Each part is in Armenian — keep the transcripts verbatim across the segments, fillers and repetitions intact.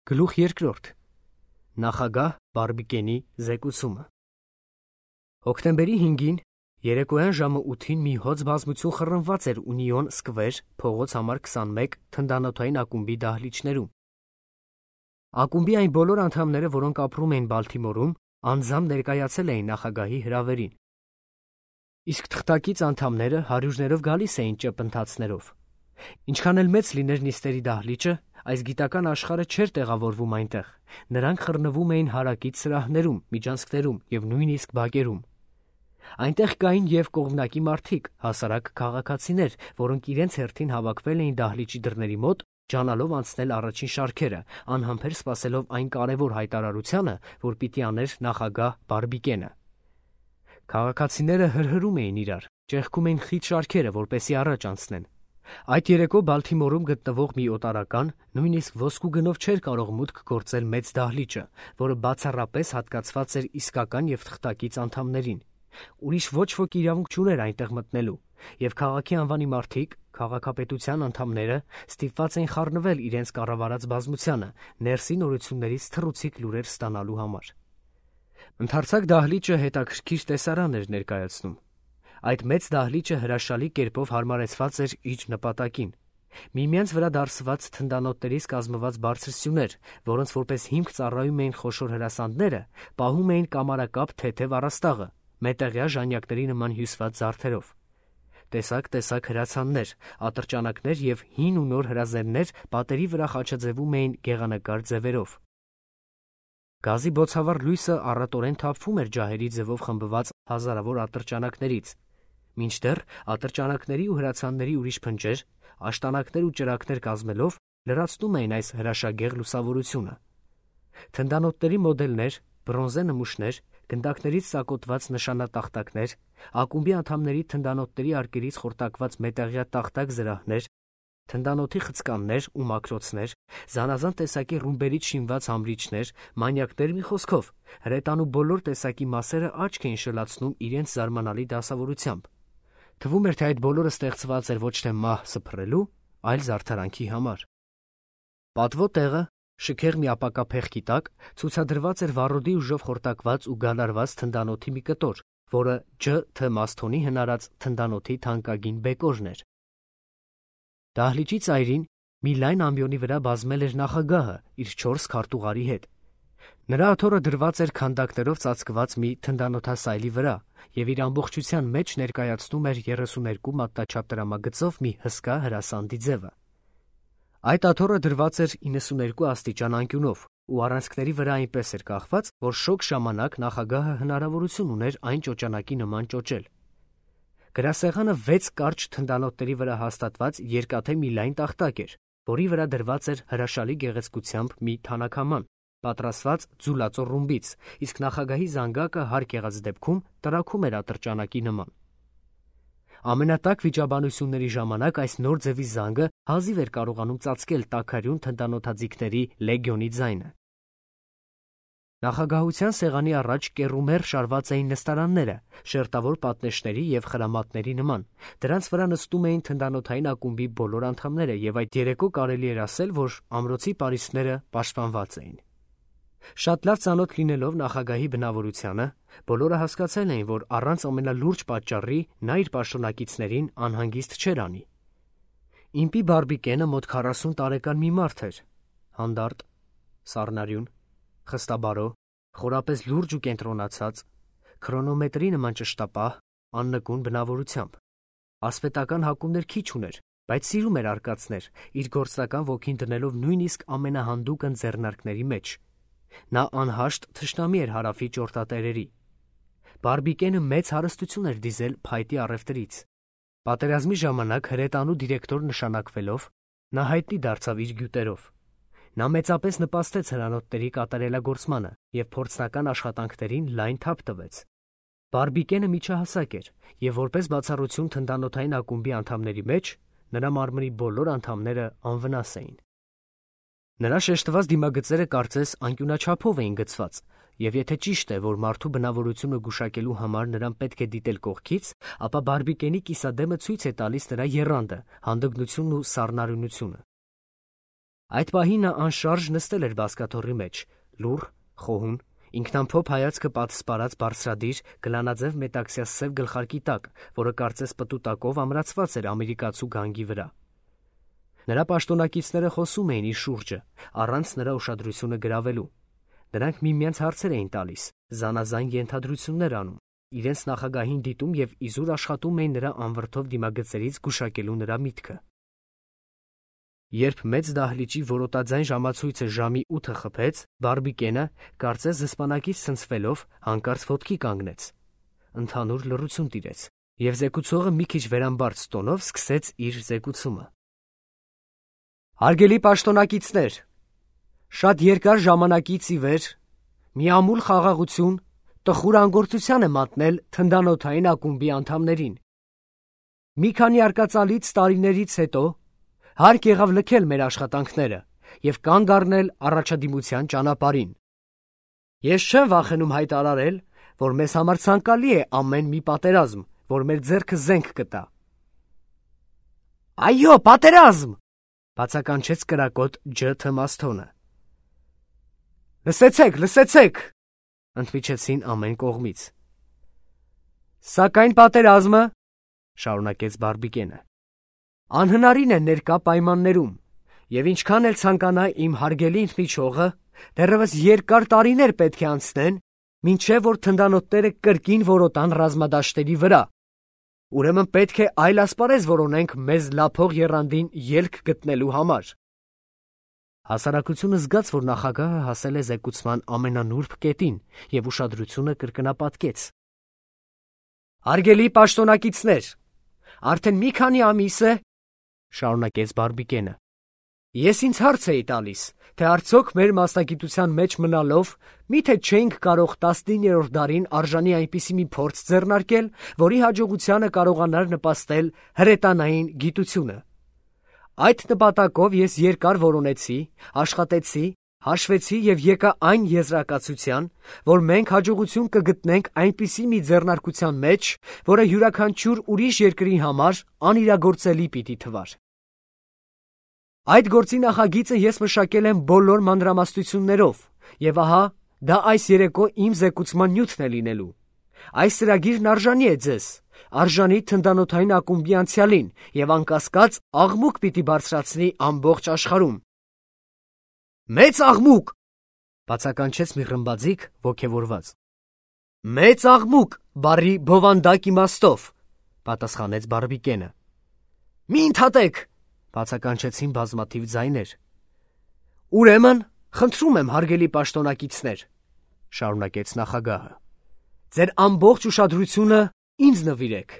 Գլուխ երկրորդ. Նախագահ Բարբիկենի զեկուցումը։ Հոկտեմբերի հինգին երեկոյան ժամը ութին մի հոծ բազմություն խռնված էր Ունիոն Սկվեր փողոց համար քսանմեկ թնդանոթային ակումբի դահլիճներում։ Ակումբի այն բոլոր անդամները, որոնք ապրում էին Բալթիմորում, անձամբ ներկայացել էին նախագահի հրավերին։ Իսկ թղթակից անդամները հարյուրներով գալիս էին ճպընթացներով։ Ինչքան էլ մեծ լիներ նիստերի դահլիճը, այս գիտական աշխարհը չէր տեղավորվում այնտեղ։ Նրանք խռնվում էին հարակից սրահներում, միջանցքներում և նույնիսկ բակերում։ Այնտեղ կային և կողմնակի մարդիկ, հասարակ քաղաքացիներ, որոնք իրենց հերթին հավաքվել էին դահլիճի դռների մոտ, ջանալով անցնել առաջին շարքերը, անհամբեր սպասելով այն կարևոր հայտարարությանը, որ պիտի աներ նախագահ Բարբիկենը։ Քաղաքացիները հրհրում էին իրար, ճեղքում էին խիտ շարքերը, որպեսզի առաջ անցնեն։ Այդ երեկո Բալթիմորում գտնվող մի օտարական նույնիսկ ոսկու գնով չէր կարող մուտք գործել մեծ դահլիճը, որը բացառապես հատկացված էր իսկական և թղթակից անդամներին։ Ուրիշ ոչ ոք իրավունք չուներ այնտեղ մտնելու, և քաղաքի անվանի մարդիկ, քաղաքապետության անդամները ստիպված էին խառնվել իրենց կառավարած բազմությանը, ներսի նորություններից թռուցիկ լուրեր ստանալու համար։ Ընդարձակ դահլիճը հետաքրքիր տեսարան էր ներկայացնում։ Այդ մեծ դահլիճը հրաշալի կերպով հարմարեցված էր իր նպատակին։ Միմյանց վրա դարսված թնդանոթներից կազմված բարձր սյուներ, որոնց որպես հիմք ծառայում էին խոշոր հրասանդները, պահում էին կամարակապ թեթև առաստաղը, մետաղյա ժանյակների նման հյուսված զարդերով։ Տեսակ-տեսակ հրացաններ, ատրճանակներ և հին ու նոր հրազեններ պատերի վրա խաչաձևում էին գեղանկար ձևերով։ Գազի բոցավառ լույսը առատորեն թափվում էր ջահերի ձևով խմբված հազարավոր ատրճանակներից, մինչդեռ ատրճանակների ու հրացանների ուրիշ փնջեր, աշտանակներ ու ճրագներ կազմելով լրացնում էին այս հրաշագեղ լուսավորությունը։ Թնդանոթների մոդելներ, բրոնզե նմուշներ, գնդակներից ծակոտված նշանատախտակներ, ակումբի անդամների թնդանոթների արկերից խորտակված մետաղյա տախտակ զրահներ, թնդանոթի խցկաններ ու մաքրոցներ, զանազան տեսակի ռումբերից շինված համրիչներ, մանյակներ, մի խոսքով, հրետանու բոլոր տեսակի մասերը աչք էին շլացնում իրենց զարմանալի դասավորությամբ։ Թվում էր, թե այդ բոլորը ստեղծված էր ոչ թե մահ սփռելու, այլ զարդարանքի համար։ Պատվո տեղը, շքեղ մի ապակա փեղկի տակ, ցուցադրված էր վառոդի ուժով խորտակված ու գալարված թնդանոթի մի կտոր, որը Ջ Թ Մասթոնի հնարած թնդանոթի թանկագին բեկորն էր։ Դահլիճի ծայրին մի լայն ամբիոնի վրա բազմել էր նախագահը իր չորս քարտուղարի հետ։ Նրա աթոռը դրված էր քանդակներով ծածկված մի թնդանոթասայլի վրա և իր ամբողջության մեջ ներկայացնում էր երեսուներկու մատնաչափ տրամագծով մի հսկա հրասանդի ձևը։ Այդ աթոռը դրված էր իննսուներկու աստիճան անկյունով ու առանցքների վրա այնպես էր կախված, որ շոգ ժամանակ նախագահը հնարավորություն ուներ այն ճոճանակի նման ճոճել։ Գրասեղանը վեց կարճ թնդանոթների վրա հաստատված երկաթե մի լայն տախտակ էր, որի վրա դրված էր հրաշալի գեղեցկությամբ մի թանաքաման, պատրաստված ձուլածո ռումբից, իսկ նախագահի զանգակը հարկ եղած դեպքում տրաքում էր ատրճանակի նման։ Ամենատաք վիճաբանությունների ժամանակ այս նոր ձևի զանգը հազիվ էր կարողանում ծածկել տաքարյուն թնդանոթաձիգների լեգիոնի ձայնը։ Նախագահության սեղանի առաջ կեռումեռ շարված էին նստարանները, շերտավոր պատնեշների և խրամատների նման։ Դրանց վրա նստում էին թնդանոթային ակումբի բոլոր անդամները, և այդ երեկո կարելի էր ասել, որ ամրոցի պարիսպները պաշտպանված էին։ Շատ լավ ծանոթ լինելով նախագահի բնավորությանը, բոլորը հասկացել էին, որ առանց ամենալուրջ պատճառի նա իր պաշտոնակիցներին անհանգիստ չէր անի։ Իմպի Բարբիկենը մոտ քառասուն տարեկան մի մարդ էր, հանդարտ, սառնարյուն, խստաբարո, խորապես լուրջ ու կենտրոնացած, քրոնոմետրի նման ճշտապահ, աննկուն բնավորությամբ։ Ասպետական հակումներ քիչ ուներ, բայց սիրում էր արկածներ, իր գործնական ոգին դնելով նույնիսկ ամենահանդուգն ձեռնարկների մեջ։ Նա անհաշտ թշնամի էր հարավի ճորտատերերի։ Բարբիկենը մեծ հարստություն էր դիզել փայտի առևտրից։ Պատերազմի ժամանակ հրետանու դիրեկտոր նշանակվելով, նա հայտնի դարձավ իր գյուտերով։ Նա մեծապես նպաստեց հրանոթների կատարելագործմանը և փորձնական աշխատանքներին լայն թափ տվեց։ Բարբիկենը միջահասակ էր, և որպես բացառություն թնդանոթային ակումբի անդամների մեջ, նրա մարմնի բոլոր անդամները անվնաս էին։ Նրա շեշտված դիմագծերը կարծես անկյունաչափով էին գծված, և եթե ճիշտ է, որ մարդու բնավորությունը գուշակելու համար նրան պետք է դիտել կողքից, ապա Բարբիկենի կիսադեմը ցույց է տալիս նրա եռանդը, հանդգնությունն ու սառնարյունությունը։ Այդ պահին նա անշարժ նստել էր բազկաթոռի մեջ, լուռ, խոհուն, ինքնամփոփ հայացքը պատսպարած բարձրադիր գլանաձև մետաքսյա սև գլխարկի տակ, որը կարծես պտուտակով ամրացված էր ամերիկացու գանգի վրա։ Նրա պաշտոնակիցները խոսում էին իր շուրջը, առանց նրա ուշադրությունը գրավելու։ Նրանք միմյանց հարցեր էին տալիս, զանազան ենթադրություններ անում, իրենց նախագահին դիտում և իզուր աշխատում էին նրա անվրդով դիմագծերից գուշակելու նրա միտքը։ Երբ մեծ դահլիճի որոտաձայն ժամացույցը ժամի ութը խփեց, Բարբիկենը, կարծես զսպանակից ցնցվելով, հանկարծ ոտքի կանգնեց։ Ընդհանուր լռություն տիրեց, և զեկուցողը մի քիչ վերամբարձ տոնով սկսեց իր զեկուցումը։ Հարգելի պաշտոնակիցներ, շատ երկար ժամանակից ի վեր մի ամուլ խաղաղություն, տխուր անգործության է մատնել թնդանոթային ակումբի անդամներին։ Մի քանի արկածալից տարիներից հետո հարկ եղավ լքել մեր աշխատանքները և կանգ առնել առաջադիմության ճանապարհին։ Ես չեմ վախենում հայտարարել, որ մեզ համար ցանկալի է ամեն մի պատերազմ, որ մեր ձեռքը զենք կտա։ Այո, պատերազմ, բացականչեց կրակոտ Ջ. Թմասթոնը։ Լսեցեք, լսեցեք, ընդմիջեցին ամեն կողմից։ Սակայն պատերազմը, շարունակեց Բարբիկենը, անհնարին է ներկա պայմաններում, և ինչքան էլ ցանկանա իմ հարգելի ընդմիջողը, դեռևս երկար տարիներ պետք է անցնեն, մինչև որ թնդանոթները կրկին որոտան ռազմադաշտերի վրա։ Ուրեմն պետք է այլ ասպարեզ որոնենք մեզ լափող եռանդին ելք գտնելու համար։ Հասարակությունը զգաց, որ նախագահը հասել է զեկուցման ամենանուրբ կետին և ուշադրությունը կրկնապատկեց։ Հարգելի պաշտոնակիցներ, արդեն մի քանի ամիս է, շարունակեց Բարբիկենը, ես ինձ հարց էի տալիս, թե արդյոք մեր մասնագիտության մեջ մնալով միթե չէինք կարող տասնիններորդ դարին արժանի այնպիսի մի փորձ ձեռնարկել, որի հաջողությանը կարողանար նպաստել հրետանային գիտությունը։ Այդ նպատակով ես երկար որոնեցի, աշխատեցի, հաշվեցի և եկա այն եզրակացության, որ մենք հաջողություն կգտնենք այնպիսի մի ձեռնարկության մեջ, որը յուրաքանչյուր ուրիշ երկրի համար անիրագործելի պիտի թվար։ Այդ գործի նախագիծը ես մշակել եմ բոլոր մանրամասնություններով, և ահա դա այս երեկո իմ զեկուցման նյութն է լինելու։ Այս ծրագիրն արժանի է ձեզ, արժանի թնդանոթային ակումբի անցյալին և անկասկած աղմուկ պիտի բարձրացնի ամբողջ աշխարհում։ Մեծ աղմուկ, բացականչեց մի ռմբաձիգ ոգևորված։ Մեծ աղմուկ բառի բովանդակ իմաստով, պատասխանեց Բարբիկենը։ Մի ընդհատեք, բացականչեցին բազմաթիվ ձայներ։ Ուրեմն, խնդրում եմ հարգելի պաշտոնակիցներ, շարունակեց նախագահը, ձեր ամբողջ ուշադրությունը ինձ նվիրեք։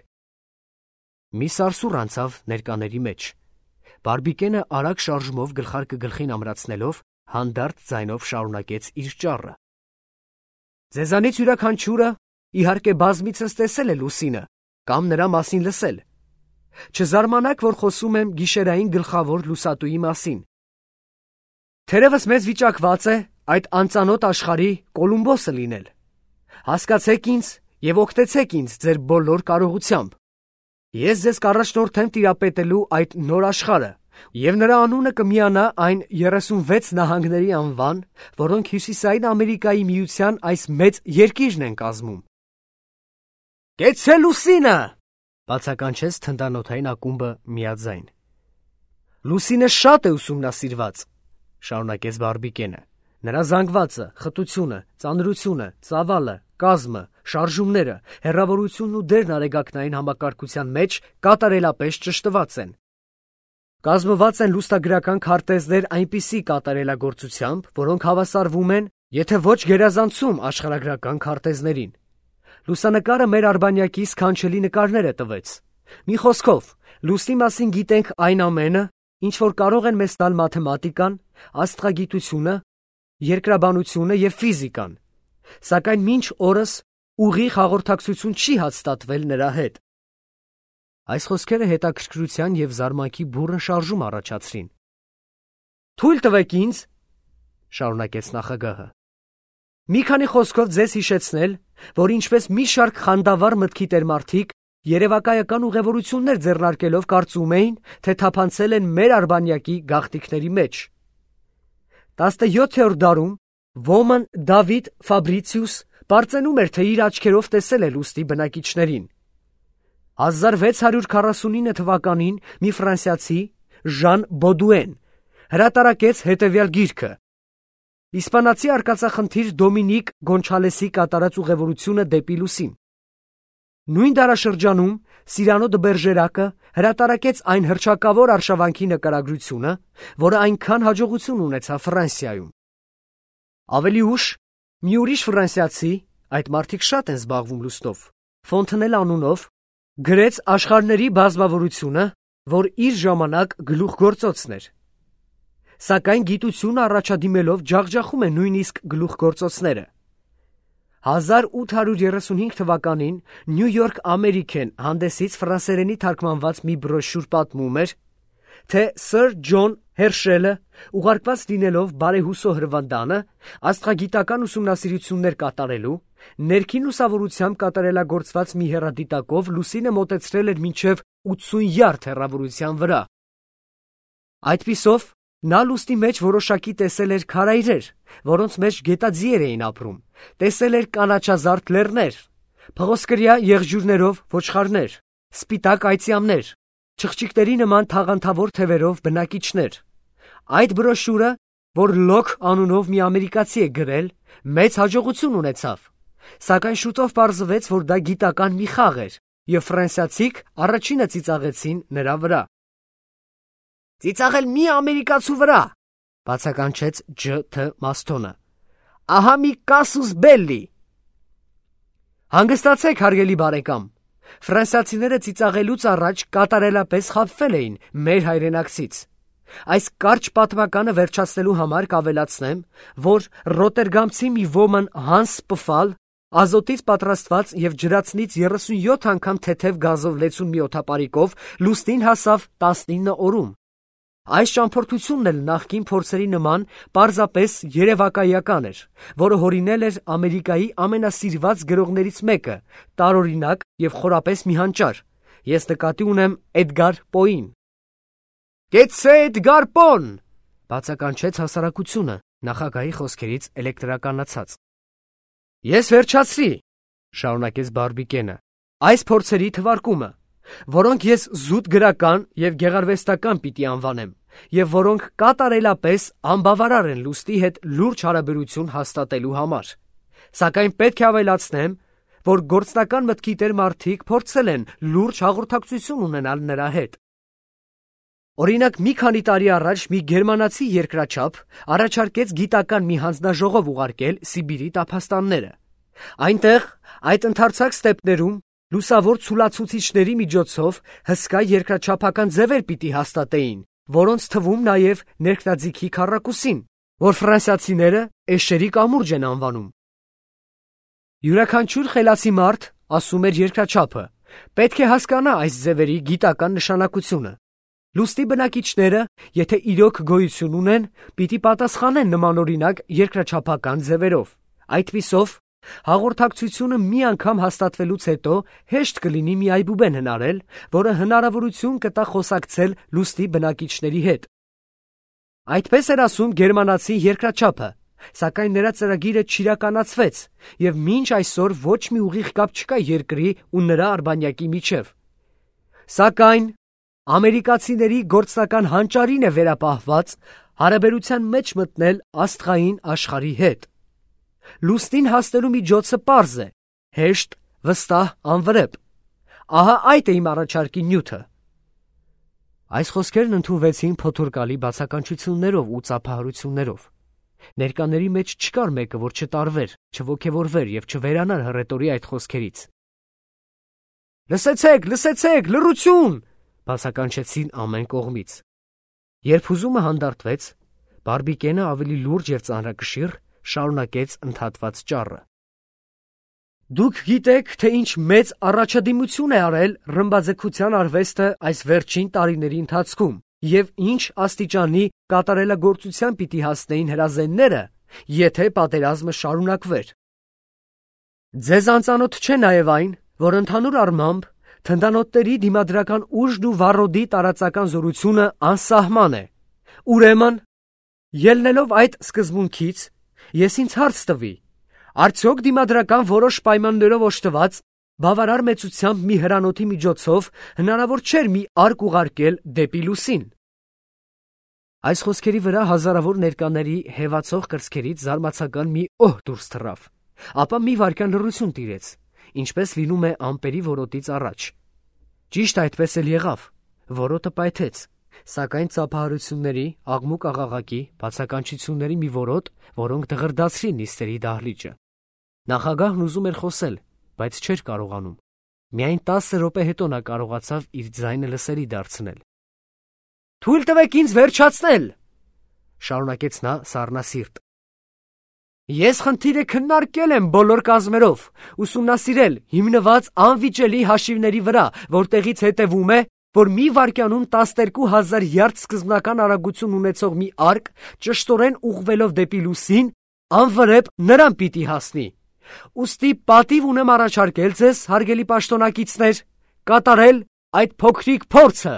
Մի սարսուռ անցավ ներկաների մեջ։ Բարբիկենը արագ շարժումով գլխարկը գլխին ամրացնելով հանդարտ ձայնով շարունակեց իր ճառը։ Ձեզանից յուրաքանչյուրը իհարկե բազմիցս տեսել է Լուսինը կամ նրա մասին լսել։ Չզարմանաք, որ խոսում եմ գիշերային գլխավոր լուսատուի մասին։ Թերևս մեզ վիճակված է այդ անծանոթ աշխարհի Կոլումբոսը լինել։ Հասկացեք ինձ և օգտեցեք ինձ ձեր բոլոր կարողությամբ։ Ես ձեզ կառաջնորդեմ տիրապետելու այդ նոր աշխարհը, և նրա անունը կմիանա այն երեսունվեց նահանգների անվան, որոնք Հյուսիսային Ամերիկայի միության այս մեծ երկիրն են կազմում։ Կեցցե Լուսինը, բացականչեց թնդանոթային ակումբը միաձայն։ Լուսինը շատ է ուսումնասիրված, շարունակեց Բարբիկենը։ Նրա զանգվածը, խտությունը, ծանրությունը, ծավալը, կազմը, շարժումները, հեռավորությունն ու դերն արեգակնային համակարգության մեջ կատարելապես ճշտված են։ Կազմված են լուսնագրական քարտեզներ այնպիսի կատարելագործությամբ, որոնք հավասարվում են, եթե ոչ գերազանցում աշխարհագրական քարտեզներին։ Լուսանկարը մեր արբանյակի սքանչելի նկարները տվեց։ Մի խոսքով, լուսնի մասին գիտենք այն ամենը, ինչ որ կարող են մեզ տալ մաթեմատիկան, աստղագիտությունը, երկրաբանությունը և ֆիզիկան, սակայն մինչ օրս ուղիղ հաղորդակցություն չի հաստատվել նրա հետ։ Այս խոսքերը հետաքրքրության և զարմանքի բուռն շարժում առաջացրին։ Թույլ տվեք ինձ, շարունակեց նախագահը, մի քանի խոսքով ձեզ հիշեցնել, որ ինչպես մի շարք խանդավառ մտքի տերմարդիկ երևակայական ուղևորություններ ձեռնարկելով կարծում էին, թե թափանցել են մեր արբանյակի գաղտնիքների մեջ։ տասնյոթերորդ դարում ոմն Դավիթ Ֆաբրիցիուս բարձենում էր, թե իր աչքերով տեսել է լուստի բնակիչներին։ հազար վեց հարյուր քառասունինը թվականին մի ֆրանսիացի Ժան Բոդուեն հրատարակեց հետևյալ գիրքը. Իսպանացի արկածախնդիր Դոմինիկ Գոնչալեսի կատարած ուղևորությունը դեպի լուսին։ Նույն դարաշրջանում Սիրանո դը Բերժերակը հրատարակեց այն հռչակավոր արշավանքի նկարագրությունը, որը այնքան հաջողություն ունեցավ Ֆրանսիայում։ Ավելի ուշ մի ուրիշ ֆրանսիացի, այդ մարդիկ շատ են զբաղվում լուստով, Ֆոնտնել անունով, գրեց աշխարհների բազմավորությունը, որ իր ժամանակ գլուխգործոցն էր։ Սակայն գիտությունը առաջադիմելով ջախջախում է նույնիսկ գլուխգործոցները։ հազար ութ հարյուր երեսունհինգ թվականին Նյու Յորք Ամերիկեն հանդեսից ֆրանսերենի թարգմանված մի բրոշյուր պատմում էր, թե Սըր Ջոն Հերշելը ուղարկված լինելով բարեհուսո հրվանդանը աստղագիտական ուսումնասիրություններ կատարելու, ներքին լուսավորությամբ կատարելագործված մի հեռադիտակով լուսինը մոտեցրել էր մինչև ութսուն յարդ հեռավորության վրա։ Այդպիսով նա լուսնի մեջ որոշակի տեսել էր քարայրեր, որոնց մեջ գետաձիեր էին ապրում, տեսել էր կանաչազարդ լեռներ, փղոսկրյա եղջյուրներով ոչխարներ, սպիտակ այծյամներ, չղջիկների նման թաղանթավոր թևերով բնակիչներ։ Այդ բրոշյուրը, որ Լոք անունով մի ամերիկացի է գրել, մեծ հաջողություն ունեցավ, սակայն շուտով պարզվեց, որ դա գիտական մի խաղ էր, և ֆրանսիացիք առաջինը ծիծաղեցին նրա վրա։ Ծիծաղել մի ամերիկացու վրա, բացականչեց Ջ Թ Մաստոնը։ Ահա մի կասուս բելլի։ Հանգստացեք, հարգելի բարեկամ, ֆրանսիացիները ծիծաղելուց առաջ կատարելապես խաբվել էին մեր հայրենակցից։ Այս կարճ պատմականը վերջացնելու համար կավելացնեմ, որ ռոտերգամցի մի ոմն Հանս Պֆալ ազոտից պատրաստված և ջրածնից երեսունյոթ անգամ թեթև գազով լեցուն մի օդապարիկով լուսնին հասավ տասնինը օրում։ Այս ճամփորդությունն էլ նախկին փորձերի նման պարզապես երևակայական էր, որը հորինել էր Ամերիկայի ամենասիրված գրողներից մեկը, տարօրինակ և խորապես մի հանճար։ Ես նկատի ունեմ Էդգար Պոին։ Կեցցե Էդգար Պոն, բացականչեց հասարակությունը նախագահի խոսքերից էլեկտրականացած։ Ես վերջացրի, շարունակեց Բարբիկենը, այս փորձերի թվարկումը, որոնք ես զուտ գրական և գեղարվեստական պիտի անվանեմ, և որոնք կատարելապես անբավարար են լուստի հետ լուրջ հարաբերություն հաստատելու համար։ Սակայն պետք է ավելացնեմ, որ գործնական մտքի տեր մարդիկ փորձել են լուրջ հաղորդակցություն ունենալ նրա հետ։ Օրինակ, մի քանի տարի առաջ մի գերմանացի երկրաչափ առաջարկեց գիտական մի հանձնաժողով ուղարկել Սիբիրի տափաստանները։ Այնտեղ, այդ ընդարձակ ստեպներում, լուսավոր ցուլացուցիչների միջոցով հսկա երկրաչափական ձևեր պիտի հաստատեին, որոնց թվում նաև ներքնաձիգի քառակուսին, որ ֆրանսիացիները էշերի կամուրջ են անվանում։ Յուրաքանչյուր խելացի մարդ, ասում էր երկրաչափը, պետք է հասկանա այս ձևերի գիտական նշանակությունը։ Լուստի բնակիչները, եթե իրոք գոյություն ունեն, պիտի պատասխանեն նմանօրինակ երկրաչափական ձևերով։ Այդպիսով, հաղորդակցությունը մի անգամ հաստատվելուց հետո հեշտ կլինի մի այբուբեն հնարել, որը հնարավորություն կտա խոսակցել լուստի բնակիչների հետ։ Այդպես էր ասում գերմանացի երկրաչափը, սակայն նրա ծրագիրը չիրականացվեց, և մինչ այսօր ոչ մի ուղիղ կապ չկա երկրի ու նրա արբանյակի միջև։ Սակայն ամերիկացիների գործնական հանճարին է վերապահված հարաբերության մեջ մտնել աստղային աշխարհի հետ։ Լուսնին հասնելու միջոցը պարզ է, հեշտ, վստահ, անվրեպ։ Ահա այդ է իմ առաջարկի նյութը։ Այս խոսքերն ընդունվեցին փոթորկալի բացականչություններով ու ծափահարություններով։ Ներկաների մեջ չկար մեկը, որ չտարվեր, չոգևորվեր և չվերանար հռետորի այդ խոսքերից։ Լսեցեք, լսեցեք, լռություն, բացականչեցին ամեն կողմից։ Երբ հուզումը հանդարտվեց, Բարբիկենը ավելի լուրջ և ծանրակշիռ շարունակեց ընդհատված ճառը։ Դուք գիտեք, թե ինչ մեծ առաջադիմություն է արել ռմբաձգության արվեստը այս վերջին տարիների ընթացքում և ինչ աստիճանի կատարելագործության պիտի հասնեին հրազենները, եթե պատերազմը շարունակվեր։ Ձեզ անծանոթ չէ նաև այն, որ ընդհանուր առմամբ թնդանոթների դիմադրական ուժն ու վառոդի տարածական զորությունը անսահման է։ Ուրեմն, Ելնելով այդ սկզբունքից, ես ինձ հարց տվի, արդյոք դիմադրական որոշ պայմաններով օժտված, բավարար մեծությամբ մի հրանոթի միջոցով հնարավոր չէր մի արկ ուղարկել դեպի լուսին։ Այս խոսքերի վրա հազարավոր ներկաների հևացող կրծքերից զարմացական մի օհ դուրս թռավ, ապա մի վայրկյան լռություն տիրեց, ինչպես լինում է ամպերի որոտից առաջ։ Ճիշտ այդպես էլ եղավ, որոտը պայթեց, սակայն ծափահարությունների, աղմուկ-աղաղակի, բացականչությունների մի որոտ, որոնք դղրդացրին նիստերի դահլիճը։ Նախագահն ուզում էր խոսել, բայց չէր կարողանում։ Միայն տասը րոպե հետո նա կարողացավ իր ձայնը լսելի դարձնել։ «Թույլ տվեք ինձ վերջացնել», շարունակեց նա սառնասիրտ։ «Ես խնդիրը քննարկել եմ բոլոր կազմերով, ուսումնասիրել, հիմնված անվիճելի հաշիվների վրա, որտեղից հետևում է, որ մի վայրկյանում տասներկու հազար յարդ սկզբնական արագություն ունեցող մի արկ, ճշտորեն ուղղվելով դեպի լուսին, անվրեպ նրան պիտի հասնի։ Ուստի պատիվ ունեմ առաջարկել ձեզ, հարգելի պաշտոնակիցներ, կատարել այդ փոքրիկ փորձը»։